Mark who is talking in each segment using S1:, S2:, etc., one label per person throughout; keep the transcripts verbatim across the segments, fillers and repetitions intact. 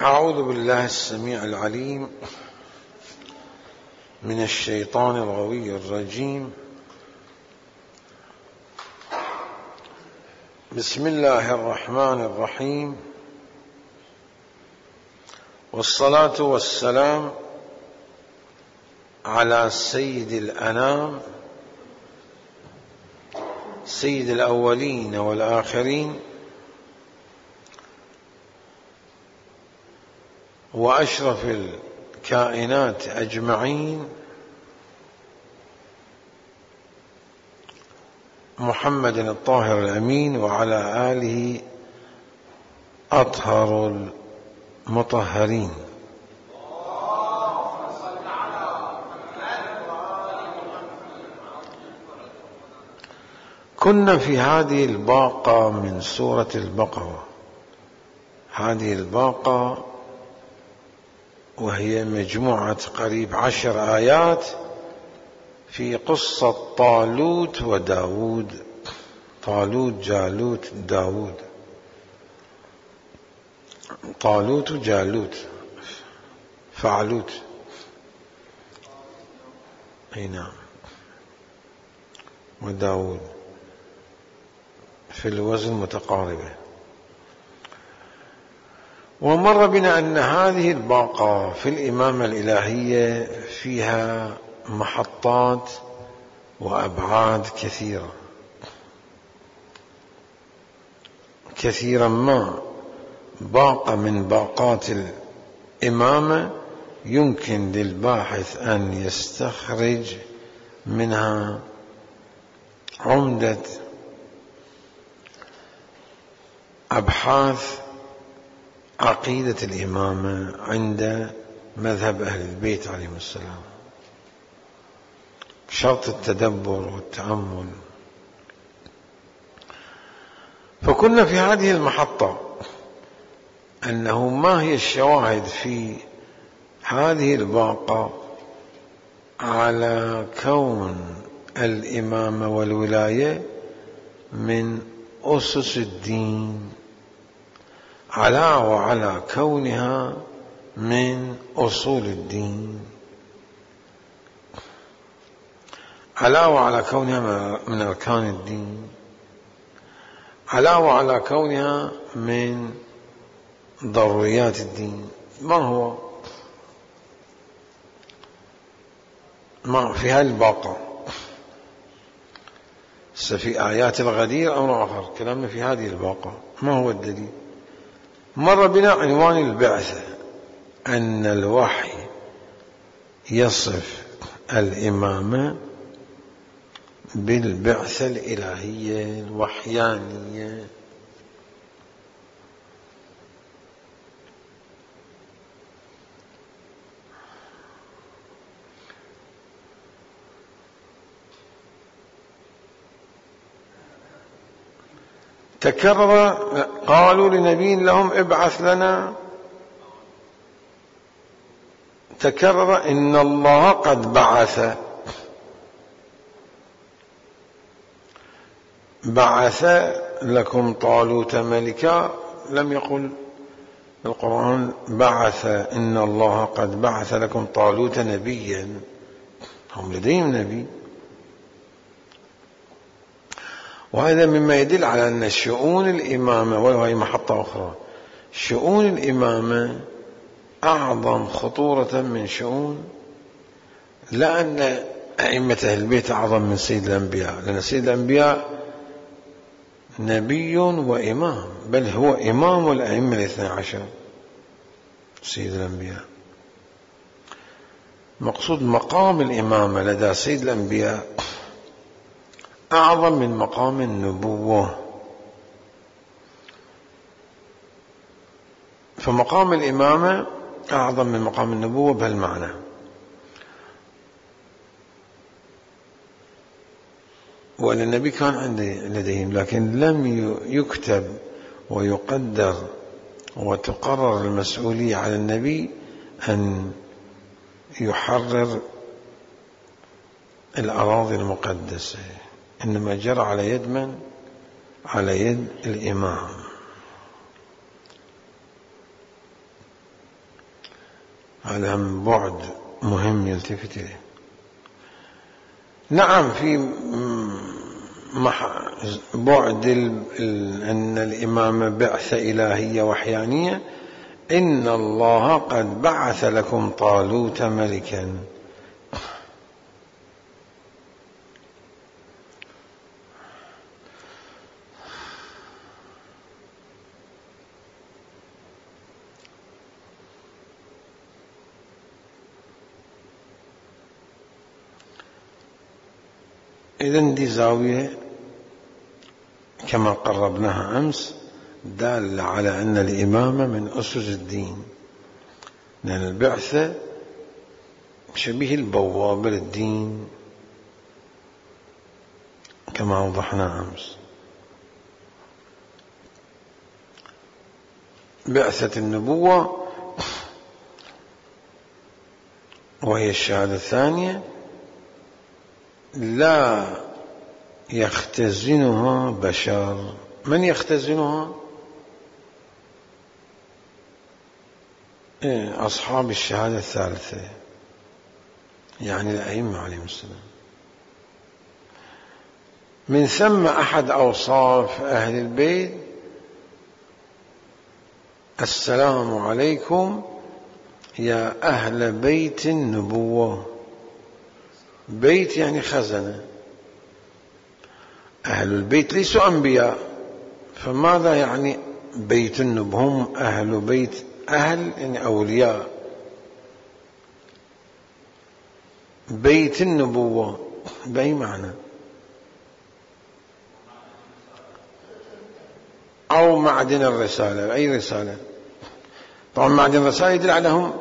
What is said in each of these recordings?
S1: أعوذ بالله السميع العليم من الشيطان الغوي الرجيم. بسم الله الرحمن الرحيم، والصلاة والسلام على سيد الأنام سيد الأولين والآخرين وأشرف الكائنات أجمعين، محمد الطاهر الأمين وعلى آله أطهر المطهرين. كنا في هذه الباقة من سورة البقرة. هذه الباقة وهي مجموعة قريب عشر آيات في قصة طالوت وداود، طالوت جالوت داود، طالوت جالوت فعلوت، اي نعم، وداود في الوزن متقاربة. ومر بنا أن هذه الباقة في الإمامة الإلهية فيها محطات وأبعاد كثيرة، كثيرا ما باقة من باقات الإمامة يمكن للباحث أن يستخرج منها عمدة أبحاث عقيدة الإمامة عند مذهب أهل البيت عليهم السلام، بشرط التدبر والتأمل. فكنا في هذه المحطة أنه ما هي الشواهد في هذه الباقة على كون الإمامة والولاية من أسس الدين، على وعلى كونها من أصول الدين، على وعلى كونها من أركان الدين، على وعلى كونها من ضروريات الدين. ما هو ما في هذه الباقة؟ في آيات الغدير أمر آخر، كلامنا في هذه الباقة. ما هو الدليل؟ مر بنا عنوان البعثة، أن الوحي يصف الإمامة بالبعثة الإلهية الوحيانية. تكرر، قالوا لنبي لهم ابعث لنا، تكرر إن الله قد بعث، بعث لكم طالوت ملكا. لم يقل القرآن بعث إن الله قد بعث لكم طالوت نبيا، هم لديهم نبي. وهذا مما يدل على أن شؤون الإمامة، وهي محطة أخرى، شؤون الإمامة أعظم خطورة من شؤون، لا أن أئمة أهل البيت أعظم من سيد الأنبياء، لأن سيد الأنبياء نبي وإمام، بل هو إمام الأئمة الاثنى عشر سيد الأنبياء. مقصود مقام الإمامة لدى سيد الأنبياء أعظم من مقام النبوة. فمقام الإمامة أعظم من مقام النبوة بهالمعنى. وأن النبي كان عندي لديهم، لكن لم يكتب ويقدر وتقرر المسؤولية على النبي أن يحرر الأراضي المقدسة، إنما جرى على يد من؟ على يد الإمام. هذا هم بعد مهم يلتفت إليه. نعم في بعد أن الإمامة بعثة إلهية وحيانية، إن الله قد بعث لكم طالوت ملكا. إذن دي زاوية كما قربناها أمس دالة على أن الإمامة من أسس الدين، لأن البعثة شبيه البوابة للدين كما وضحنا أمس. بعثة النبوة وهي الشهادة الثانية لا يختزنها بشر. من يختزنها؟ أصحاب الشهادة الثالثة، يعني الأئمة عليهم السلام. من ثم أحد أوصاف أهل البيت السلام عليكم يا أهل بيت النبوة. بيت يعني خزنة، أهل البيت ليسوا أنبياء، فماذا يعني بيت النبوة؟ هم أهل بيت، أهل يعني أولياء، بيت النبوة بأي معنى؟ أو معدن الرسالة. أي رسالة؟ طبعا معدن الرسالة يدل عليهم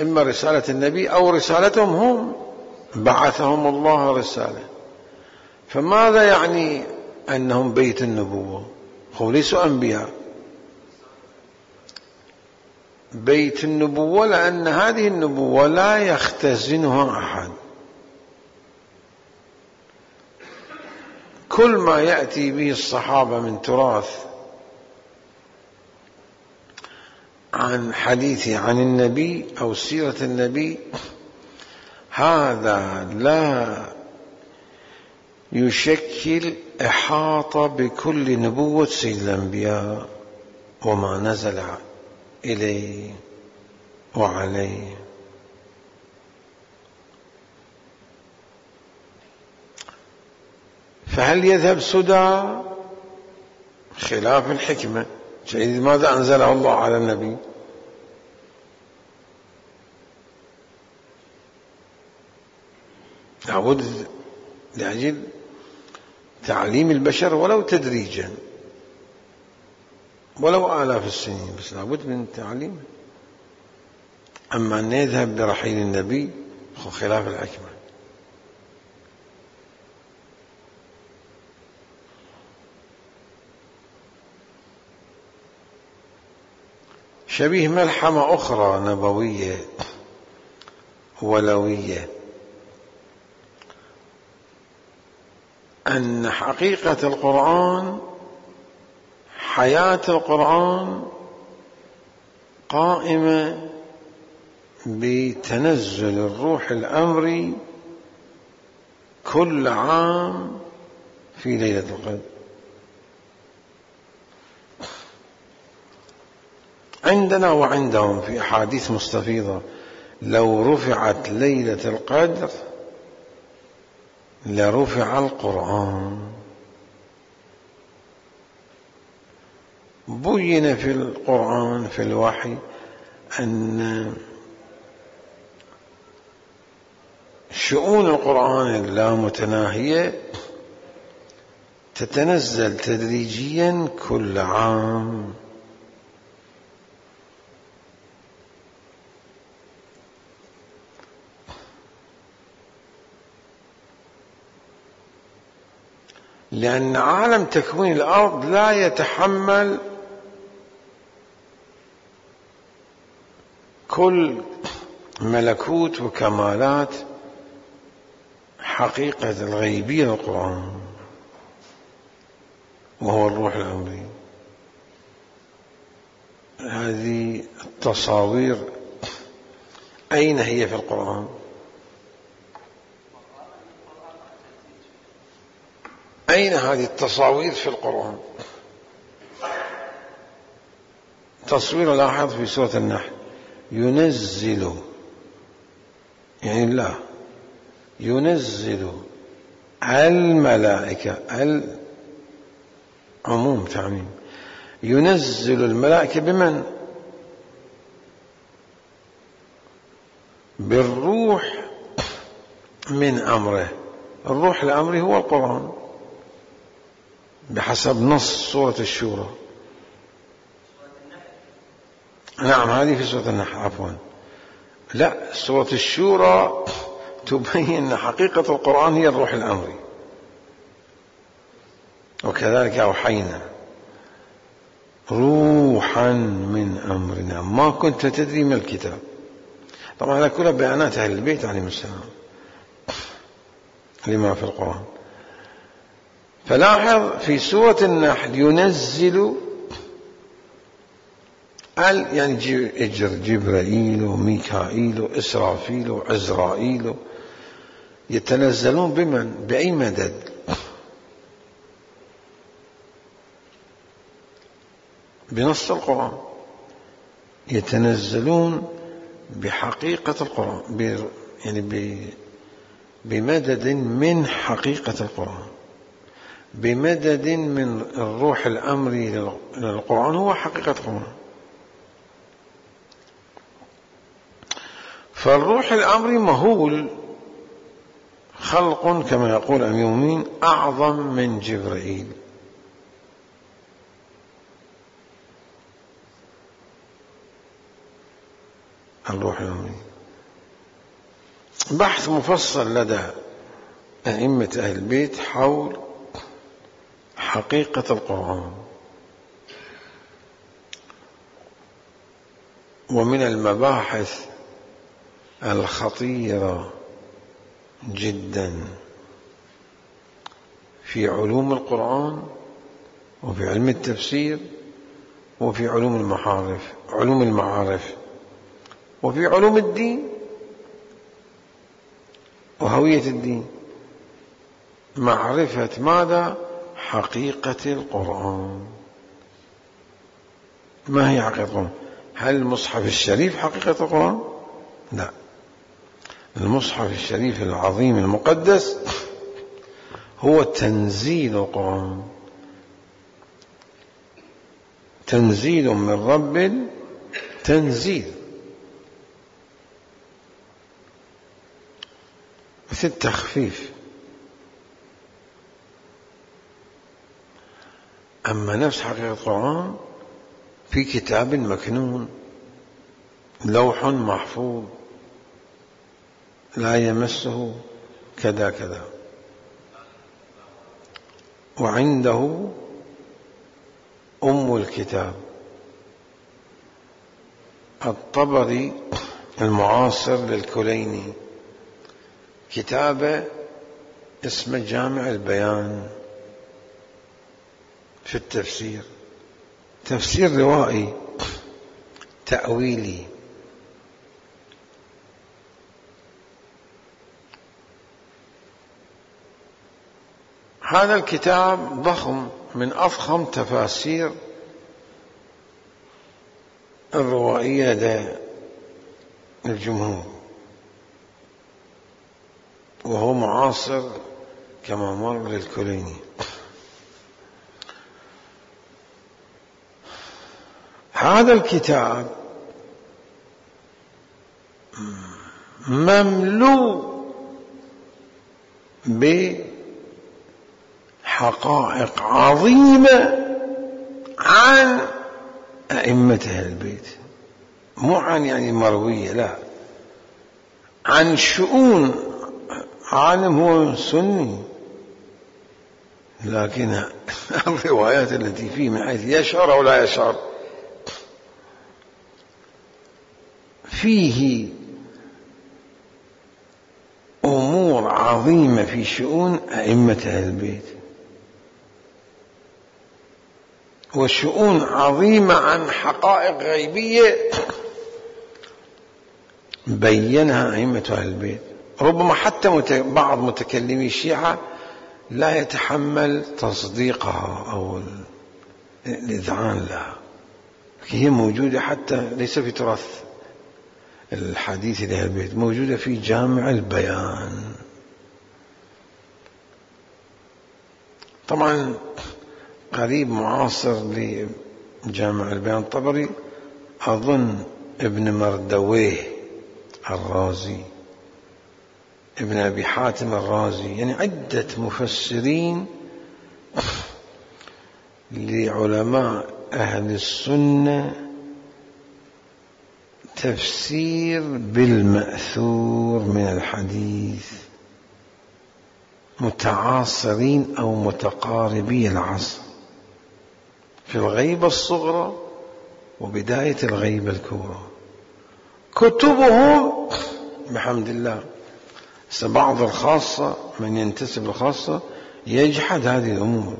S1: إما رسالة النبي أو رسالتهم هم، بعثهم الله رسالة. فماذا يعني أنهم بيت النبوة؟ هم ليسوا أنبياء. بيت النبوة لأن هذه النبوة لا يختزنها أحد. كل ما يأتي به الصحابة من تراث عن حديث عن النبي أو سيرة النبي، هذا لا يشكل إحاطة بكل نبوة سيد الأنبياء وما نزل إليه وعليه. فهل يذهب سدى؟ خلاف الحكمة. شيء ماذا أنزله الله على النبي؟ لابد لأجل تعليم البشر ولو تدريجا، ولو آلاف السنين، بس لابد من تعليمه. أما أن يذهب برحيل النبي خلاف الحكمة. شبيه ملحمة أخرى نبوية ولوية، أن حقيقة القرآن، حياة القرآن قائمة بتنزل الروح الأمري كل عام في ليلة القدر. عندنا وعندهم في أحاديث مستفيضة لو رفعت ليلة القدر لرفع القرآن. بين في القرآن في الوحي أن شؤون القرآن اللامتناهية تتنزل تدريجيا كل عام. لأن عالم تكوين الأرض لا يتحمل كل ملكوت وكمالات حقيقة الغيبية للقرآن، وهو الروح الأمري. هذه التصاوير أين هي في القرآن؟ أين هذه التصاوير في القرآن؟ تصوير لاحظ في سورة النحل، ينزل يعني الله ينزل الملائكة، العموم تعميم، ينزل الملائكة بمن؟ بالروح من أمره. الروح الأمري هو القرآن بحسب نص سورة الشورى. نعم هذه في سورة النحل عفوا. لا، سورة الشورى تبين أن حقيقة القرآن هي الروح الأمري. وكذلك أوحينا روحا من أمرنا ما كنت تدري ما الكتاب. طبعا هذا كلها بيانات أهل البيت عليهم السلام لما في القرآن. فلاحظ في سورة النحل ينزل ال يعني اجر جبرائيل وميكائيل وإسرافيل وعزرائيل يتنزلون بمن؟ بأي مدد؟ بنص القرآن. يتنزلون بحقيقة القرآن، يعني بمدد من حقيقة القرآن، بمدد من الروح الأمري للقرآن هو حقيقة القرآن. فالروح الأمري مهول خلق كما يقول أمير المؤمنين أعظم من جبرائيل. الروح الأمري بحث مفصل لدى أئمة أهل البيت حول حقيقة القرآن. ومن المباحث الخطيرة جدا في علوم القرآن وفي علم التفسير وفي علوم المعارف علوم المعارف وفي علوم الدين وهوية الدين، معرفة ماذا؟ حقيقة القرآن. ما هي حقيقة القرآن؟ هل المصحف الشريف حقيقة القرآن؟ لا، المصحف الشريف العظيم المقدس هو تنزيل القرآن، تنزيل من رب تنزيل، مثل التخفيف. أما نفس حقيقة القرآن في كتاب مكنون، لوح محفوظ لا يمسه كذا كذا، وعنده أم الكتاب. الطبري المعاصر للكليني كتابه اسمه جامع البيان في التفسير، تفسير روائي تأويلي. هذا الكتاب ضخم، من أفخم تفاسير الروائية لدى الجمهور، وهو معاصر كما مر للكليني. هذا الكتاب مملوء بحقائق عظيمة عن أئمة أهل البيت، مو عن يعني مروية، لا، عن شؤون عالم هو سني، لكن الروايات التي فيه من حيث يشعر أو لا يشعر فيه أمور عظيمة في شؤون أئمة أهل البيت، وشؤون عظيمة عن حقائق غيبية بينها أئمة أهل البيت. ربما حتى بعض متكلمي الشيعة لا يتحمل تصديقها أو الإذعان لها، هي موجودة حتى ليس في تراث الحديث لأهل البيت، موجودة في جامع البيان. طبعا قريب معاصر لجامع البيان الطبري أظن ابن مردويه الرازي، ابن أبي حاتم الرازي، يعني عدة مفسرين لعلماء أهل السنة تفسير بالمأثور من الحديث، متعاصرين أو متقاربي العصر في الغيبة الصغرى وبداية الغيبة الكبرى. كتبهم بحمد الله، بعض الخاصة من ينتسب للخاصة يجحد هذه الأمور،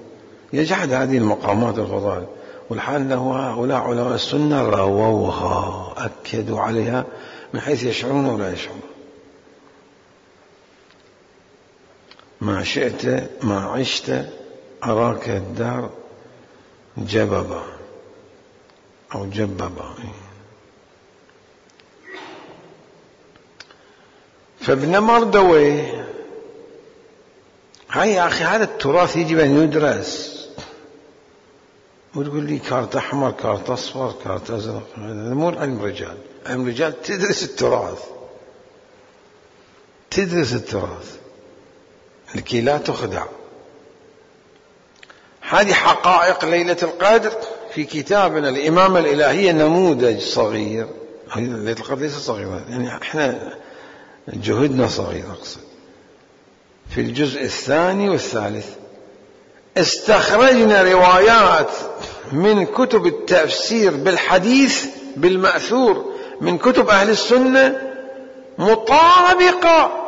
S1: يجحد هذه المقامات الفضائل، والحال أنه هؤلاء علماء السنة رووها، أكدوا عليها من حيث يشعرون ولا يشعرون. ما شئت ما عشت أراك الدار جببا أو جببا. فابن مردويه هاي يا أخي هذا التراث يجب أن يدرس، وتقول لي كارت أحمر كارت أصفر كارت أزرق، هذا مو علم رجال، علم رجال تدرس التراث، تدرس التراث لكي لا تخدع. هذه حقائق ليلة القدر في كتابنا الإمامة الإلهية نموذج صغير. ليلة القدر ليس صغيرة، يعني احنا جهدنا صغير، أقصد في الجزء الثاني والثالث استخرجنا روايات من كتب التفسير بالحديث بالمأثور من كتب أهل السنة مطابقة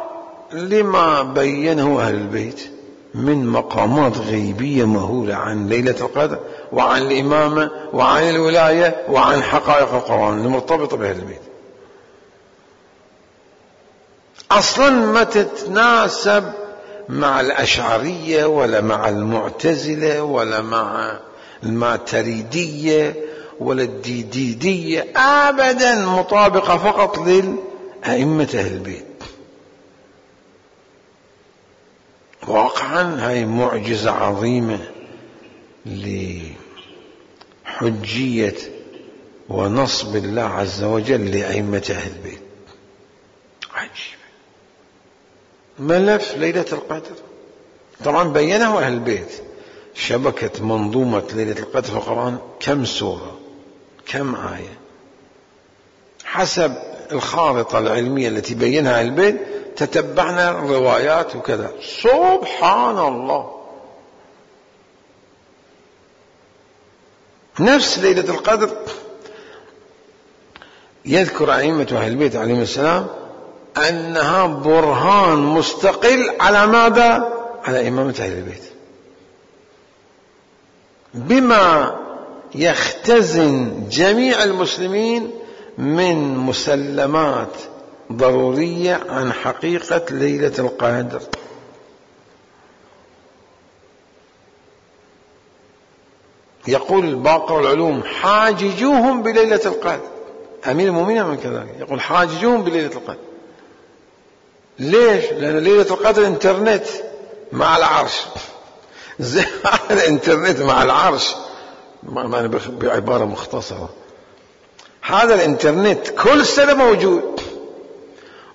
S1: لما بينه أهل البيت من مقامات غيبية مهولة عن ليلة القدر وعن الإمامة وعن الولاية وعن حقائق القرآن المرتبطة بأهل البيت. أصلا ما تتناسب مع الأشعرية ولا مع المعتزلة ولا مع الماتريدية ولا الديديدية أبدا، مطابقة فقط للأئمة أهل البيت. واقعا هاي معجزة عظيمة لحجية ونصب الله عز وجل لأئمة أهل البيت. عجيب. ملف ليلة القدر طبعا بينه أهل البيت، شبكة منظومة ليلة القدر في القرآن كم سورة كم آية حسب الخارطة العلمية التي بينها أهل البيت، تتبعنا الروايات وكذا. سبحان الله. نفس ليلة القدر يذكر أئمة أهل البيت عليهم السلام أنها برهان مستقل على ماذا؟ على إمامة أهل البيت، بما يختزن جميع المسلمين من مسلمات ضرورية عن حقيقة ليلة القدر. يقول الباقر العلوم حاججوهم بليلة القدر، أمير المؤمنين من كذلك يقول حاججوهم بليلة القدر. ليش؟ لأن ليلة القدر انترنت مع العرش، زي الانترنت مع العرش، بعبارة مختصرة هذا الانترنت كل سنة موجود،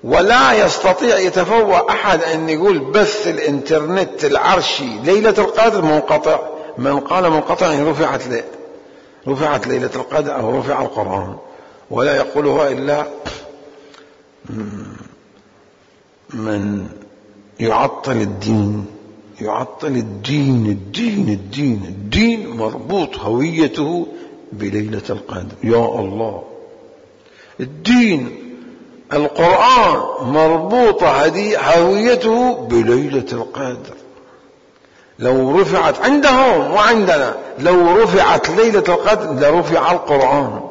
S1: ولا يستطيع يتفوه أحد أن يقول بث الانترنت العرشي ليلة القدر منقطع. من قال منقطع يعني رفعت لي رفعت ليلة القدر أو رفع القرآن، ولا يقولها إلا من يعطل الدين، يعطل الدين الدين الدين الدين مربوط هويته بليلة القدر. يا الله، الدين القرآن مربوطة هويته بليلة القدر. لو رفعت عندهم وعندنا، لو رفعت ليلة القدر لرفع القرآن،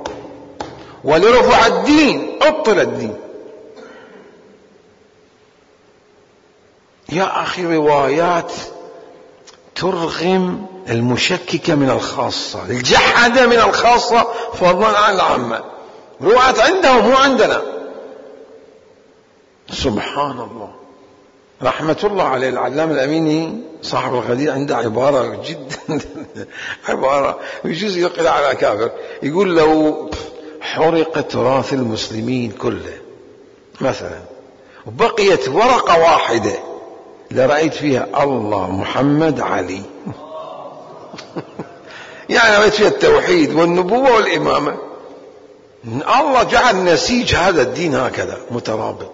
S1: ولرفع الدين أبطل الدين. يا أخي روايات ترغم المشككة من الخاصة، الجحدة من الخاصة فضلا عن العامة. روايات عندهم مو عندنا. سبحان الله. رحمة الله عليه العلامة الأميني صاحب الغدير عنده عبارة جدا عبارة يجوز يقل على كافر. يقول لو حرق تراث المسلمين كله مثلا وبقيت ورقة واحدة لرأيت فيها الله محمد علي يعني رأيت فيها التوحيد والنبوة والإمامة. الله جعل نسيج هذا الدين هكذا مترابط،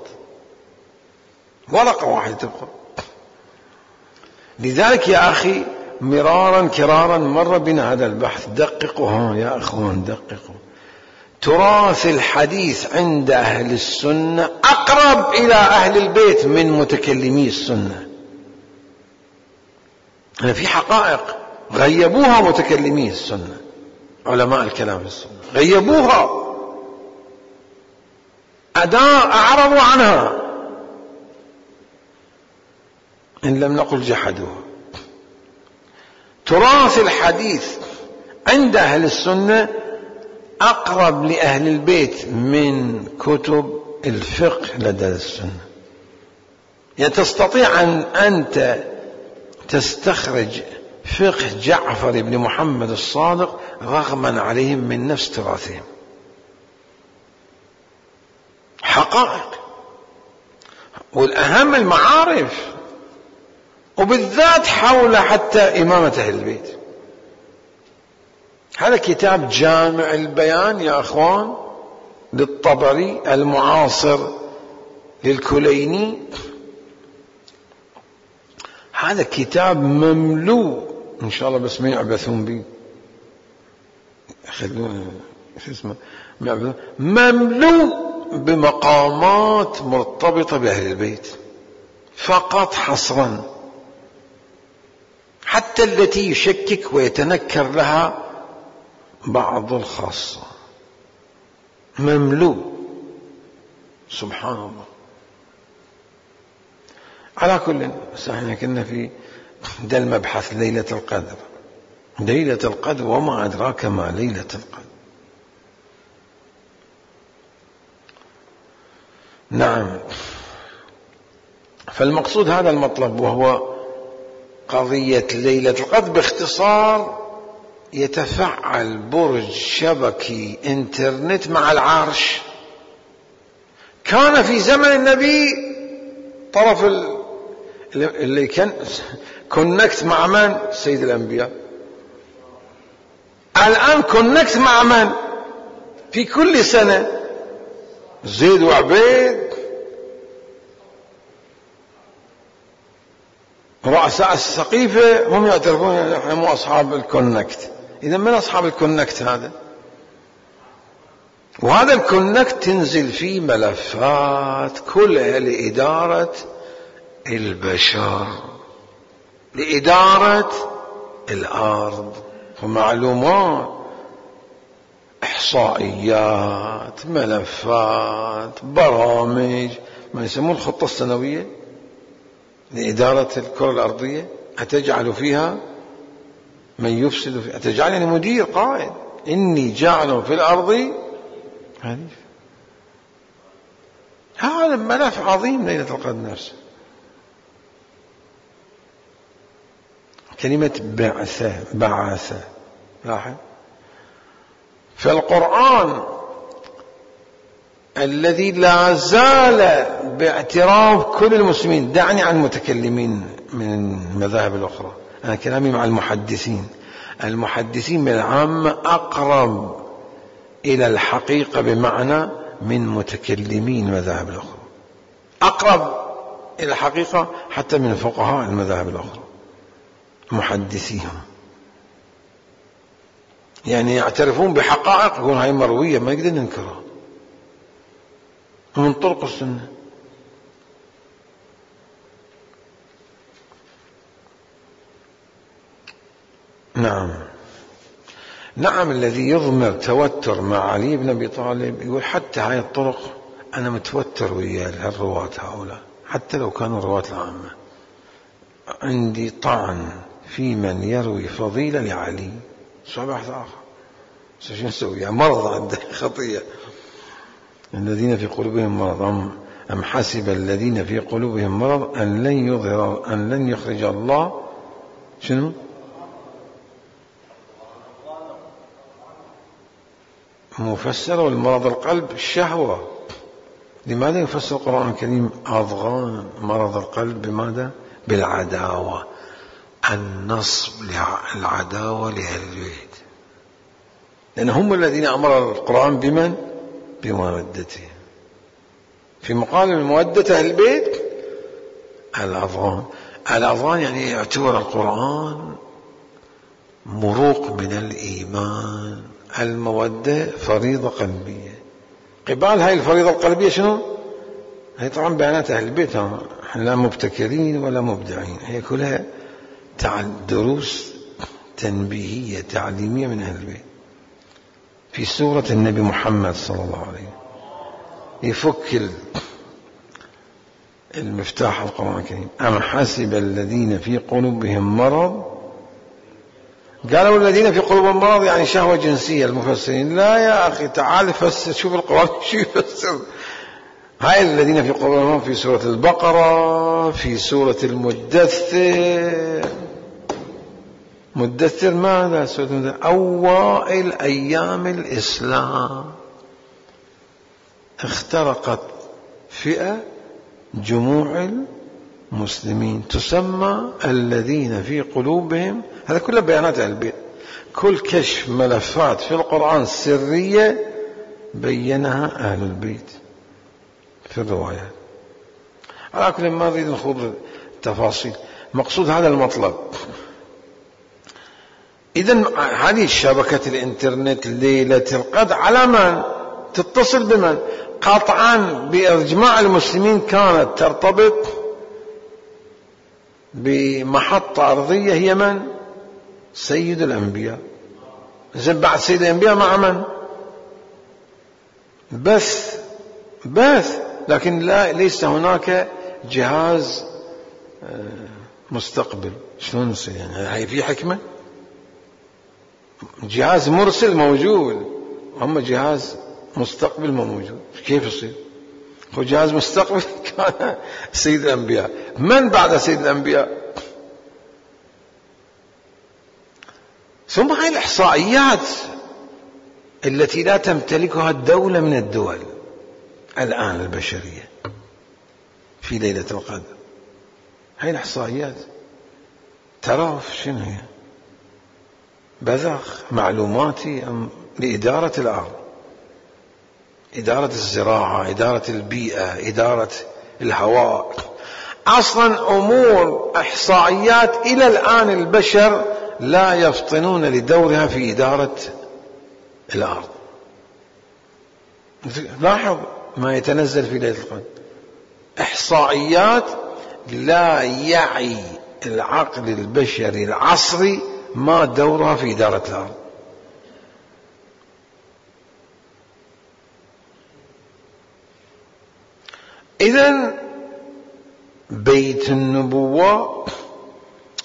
S1: ورقة واحدة تبقى. لذلك يا أخي مرارا كرارا مر بنا هذا البحث. دققوا ها يا أخوان، دققوا. تراث الحديث عند أهل السنة أقرب إلى أهل البيت من متكلمي السنة. أنا في حقائق غيبوها متكلمي السنة، علماء الكلام في السنة غيبوها، أداء أعرضوا عنها، إن لم نقل جحدوها. تراث الحديث عند أهل السنة أقرب لأهل البيت من كتب الفقه لدى السنة. يعني تستطيع أن أنت تستخرج فقه جعفر بن محمد الصادق رغما عليهم من نفس تراثهم. حقائق، والأهم المعارف، وبالذات حول حتى إمامة أهل البيت. هذا كتاب جامع البيان يا أخوان للطبري المعاصر للكليني. هذا كتاب مملوء إن شاء الله، بس ما يعبثون به، شو اسمه، مملوء بمقامات مرتبطة بأهل البيت فقط حصرا، حتى التي يشكك ويتنكر لها بعض الخاصة، مملوء. سبحان الله. على كل، احنا كنا في ده المبحث ليلة القدر. ليلة القدر وما أدراك ما ليلة القدر. نعم. فالمقصود هذا المطلب، وهو قضية ليلة القدر. باختصار يتفعل برج شبكي انترنت مع العرش. كان في زمن النبي طرف اللي كان كونكت مع من؟ سيد الأنبياء. الآن كونكت مع من؟ في كل سنة زيد وعبيد، رؤساء السقيفة هم يعترفون نحن مو أصحاب الكونكت. إذا من أصحاب الكونكت هذا؟ وهذا الكونكت تنزل فيه ملفات كلها لإدارة البشر، لإدارة الأرض، ومعلومات، إحصائيات، ملفات، برامج، ما يسمون الخطة السنوية لإدارة الكرة الأرضية. أتجعل فيها من يفسد فيها، أتجعلني مدير قائد، إني جاعل في الأرض خليفة. هذا ملف عظيم ليلة القدر نفسه. كلمة بعثة، بعثة، لاحظ. فالقرآن الذي لا زال باعتراف كل المسلمين، دعني عن المتكلمين من المذاهب الأخرى، أنا كلامي مع المحدثين. المحدثين من العامة أقرب إلى الحقيقة بمعنى من متكلمين المذاهب الأخرى، أقرب إلى الحقيقة حتى من فقهاء المذاهب الأخرى محدثيهم. يعني يعترفون بحقائق يقولون هاي مروية ما نقدر ننكرها من طرق السنة. نعم نعم. الذي يضمر توتر مع علي بن أبي طالب يقول حتى هاي الطرق أنا متوتر ويا الرواة هؤلاء، حتى لو كانوا رواة العامة عندي طعن في من يروي فضيلة لعلي، شو بحث آخر، شو نسوي؟ يعني مرض عنده خطية. الذين في قلوبهم مرض أم حسب الذين في قلوبهم مرض أن لن يظهر أن لن يخرج الله شنو؟ مفسر والمرض القلب الشهوة. لماذا يفسر القرآن الكريم أضغان مرض القلب بماذا؟ بالعداوة، النصب العداوة لأهل البيت، لأن هم الذين أمر القرآن بمن؟ بمودته. في مقابل المودة أهل البيت الأضغان. الأضغان يعني يعتبر القرآن مروق من الإيمان. المودة فريضة قلبية. قبال هاي الفريضة القلبية شنو؟ هي طبعا بيانات أهل البيت، احنا لا مبتكرين ولا مبدعين، هي كلها دروس تنبيهية تعليمية من أهل البيت. في سورة النبي محمد صلى الله عليه وسلم يفك المفتاح القرآن الكريم. أم حسب الذين في قلوبهم مرض، قالوا الذين في قلوبهم مرض يعني شهوة جنسية المفسرين. لا يا أخي، تعال فسر، شوف القرآن شو يفسر. هاي الذين في قلوبهم مرض في سورة البقرة، في سورة المدثر. مدثر ماذا؟ سورة المدثر أوائل أيام الإسلام اخترقت فئة جموع المسلمين تسمى الذين في قلوبهم. هذا كله بيانات أهل البيت. كل كشف ملفات في القرآن سرية بينها أهل البيت في الروايات. على كل ما نريد نخوض التفاصيل، مقصود هذا المطلب. إذن هذه شبكة الإنترنت ليلة القدر على من؟ تتصل بمن؟ قطعا بإجماع المسلمين كانت ترتبط بمحطة أرضية هي من؟ سيد الأنبياء. زين بعد سيد الأنبياء مع من؟ بث بث لكن لا، ليس هناك جهاز مستقبل. شلون يصير يعني؟ هاي في حكمة. جهاز مرسل موجود، أما جهاز مستقبل ما موجود. كيف يصير؟ هو جهاز مستقبل كان سيد الأنبياء. من بعد سيد الأنبياء؟ ثم هاي الإحصائيات التي لا تمتلكها الدولة من الدول الآن البشرية في ليلة القدر. هاي الإحصائيات ترى شنو هي؟ بذخ معلوماتي لإدارة الأرض، إدارة الزراعة، إدارة البيئة، إدارة الهواء. أصلا أمور إحصائيات إلى الآن البشر لا يفطنون لدورها في إدارة الأرض. لاحظ ما يتنزل في ليلة القدر، إحصائيات لا يعي العقل البشري العصري ما دورها في إدارة الأرض. إذن بيت النبوة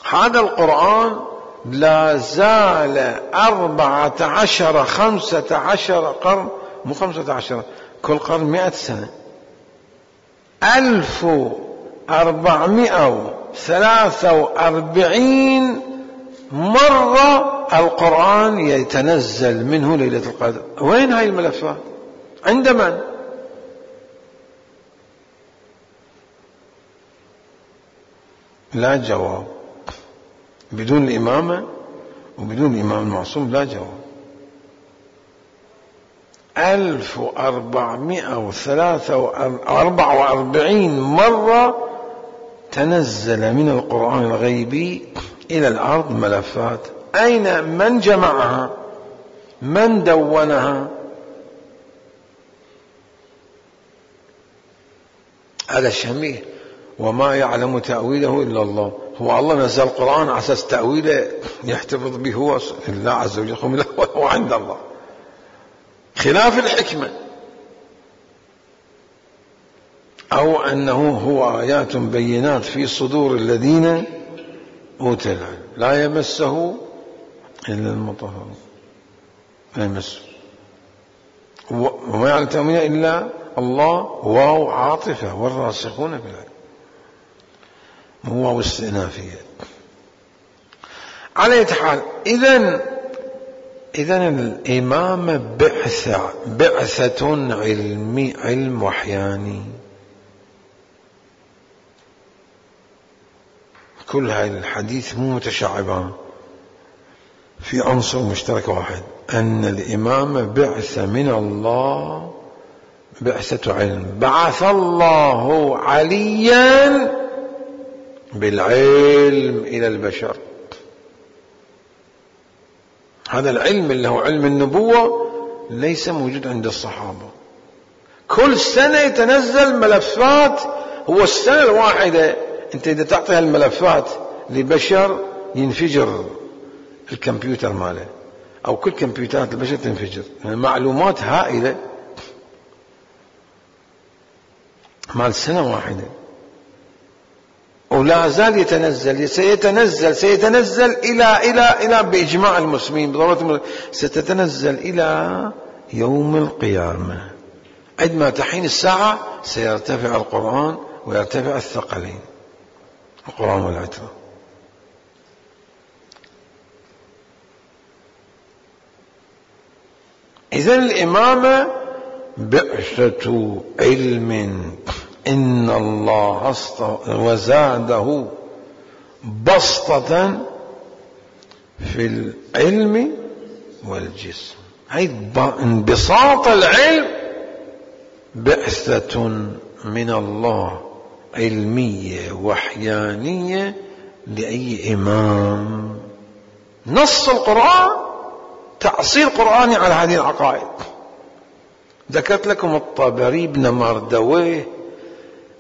S1: هذا القرآن لا زال أربعة عشر خمسة عشر قرن، مو خمسة عشر، كل قرن مئة سنة، ألف أربعمائة وثلاثة وأربعين مرة القرآن يتنزل منه ليلة القدر. وين هاي الملفات؟ عند من؟ لا جواب. بدون الإمامة وبدون الإمام المعصوم لا جواب. ألف أربعمائة وثلاثة وأربعة وأربعين مرة تنزل من القرآن الغيبي إلى الأرض ملفات. أين؟ من جمعها؟ من دونها؟ هذا شميه. وما يعلم تأويله إلا الله. هو الله نزل القرآن على أساس تأويله يحتفظ به هو الله عز وجل، هو عند الله، خلاف الحكمة. أو أنه هو آيات بينات في صدور الذين أوتي العلم لا يمسه إلا المطهرون، لا يمسه، وما يعلم تأويله إلا الله، واو عاطفة، والراسخون في العلم، مو واو استئنافية. على أي حال، إذن إذن الإمامة بعثة بعثة علمي، علم وحياني. كل هاي الحديث مو متشعبان، في عنصر مشترك واحد، أن الإمامة بعثة من الله، بعثة علم، بعث الله عليا بالعلم إلى البشر. هذا العلم اللي هو علم النبوة ليس موجود عند الصحابة. كل سنة يتنزل ملفات، هو السنة الواحدة أنت إذا تعطي الملفات لبشر ينفجر الكمبيوتر ماله، أو كل كمبيوترات البشر تنفجر، يعني معلومات هائلة مال سنة واحدة، ولا زال يتنزل، سيتنزل سيتنزل إلى إلى إلى بإجماع المسلمين بضرورة ستتنزل إلى يوم القيامة. عندما تحين الساعة سيرتفع القرآن ويرتفع الثقلين، القرآن والعترة. إذن الإمامة بعثة علم، إن الله وزاده بسطة في العلم والجسم. هي انبساط العلم بعثة من الله علمية وحيانية لأي إمام. نص القرآن تأصيل قرآني على هذه العقائد. ذكرت لكم الطبري، ابن مردويه،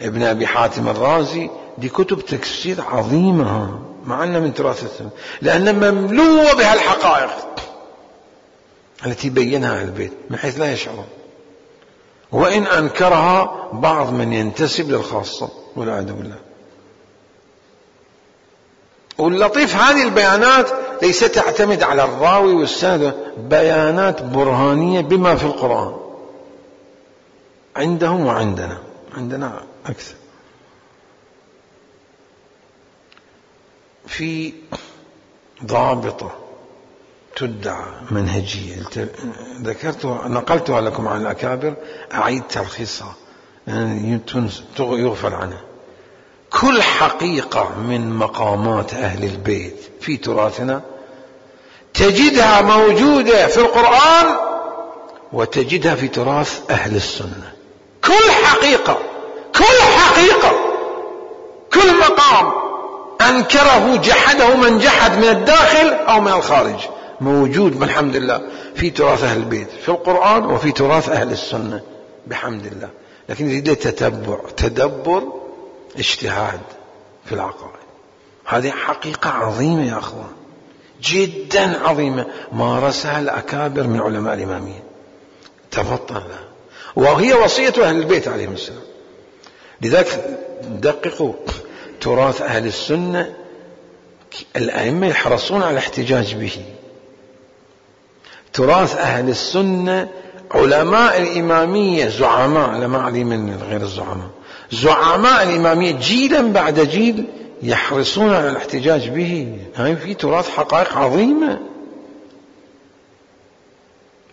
S1: ابن أبي حاتم الرازي، دي كتب تفسير عظيمة مع أنها من تراث السنة، لأنها مملوءة بهالحقائق التي بينها أهل البيت من حيث لا يشعرون، وإن أنكرها بعض من ينتسب للخاصة والعياذ بالله. واللطيف هذه البيانات ليست تعتمد على الراوي والسند، بيانات برهانية بما في القرآن عندهم وعندنا، عندنا أكثر. في ضابطة تدعى منهجية ذكرتها نقلتها لكم عن الأكابر، أعيد تلخيصها يعني يغفل عنها. كل حقيقة من مقامات أهل البيت في تراثنا تجدها موجودة في القرآن وتجدها في تراث أهل السنة. كل حقيقة كل حقيقة كل مقام أنكره جحده من جحد من الداخل أو من الخارج موجود بالحمد لله في تراث أهل البيت في القرآن وفي تراث أهل السنة بحمد الله. لكن يريد تتبع تدبر اجتهاد في العقائد. هذه حقيقة عظيمة يا أخوان، جدا عظيمة، مارسها الأكابر من علماء الإمامية تفطن لها، وهي وصية أهل البيت عليهم السلام. لذلك دققوا تراث أهل السنة، الأئمة يحرصون على الاحتجاج به. تراث أهل السنة علماء الإمامية زعماء، لا ما علي من غير الزعماء، زعماء الإمامية جيلا بعد جيل يحرصون على الاحتجاج به. هاي في تراث حقائق عظيمة،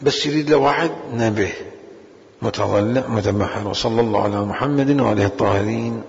S1: بس يريد له واحد نبه متضلع متبحر. وصلى الله على محمد وعليه الطاهرين.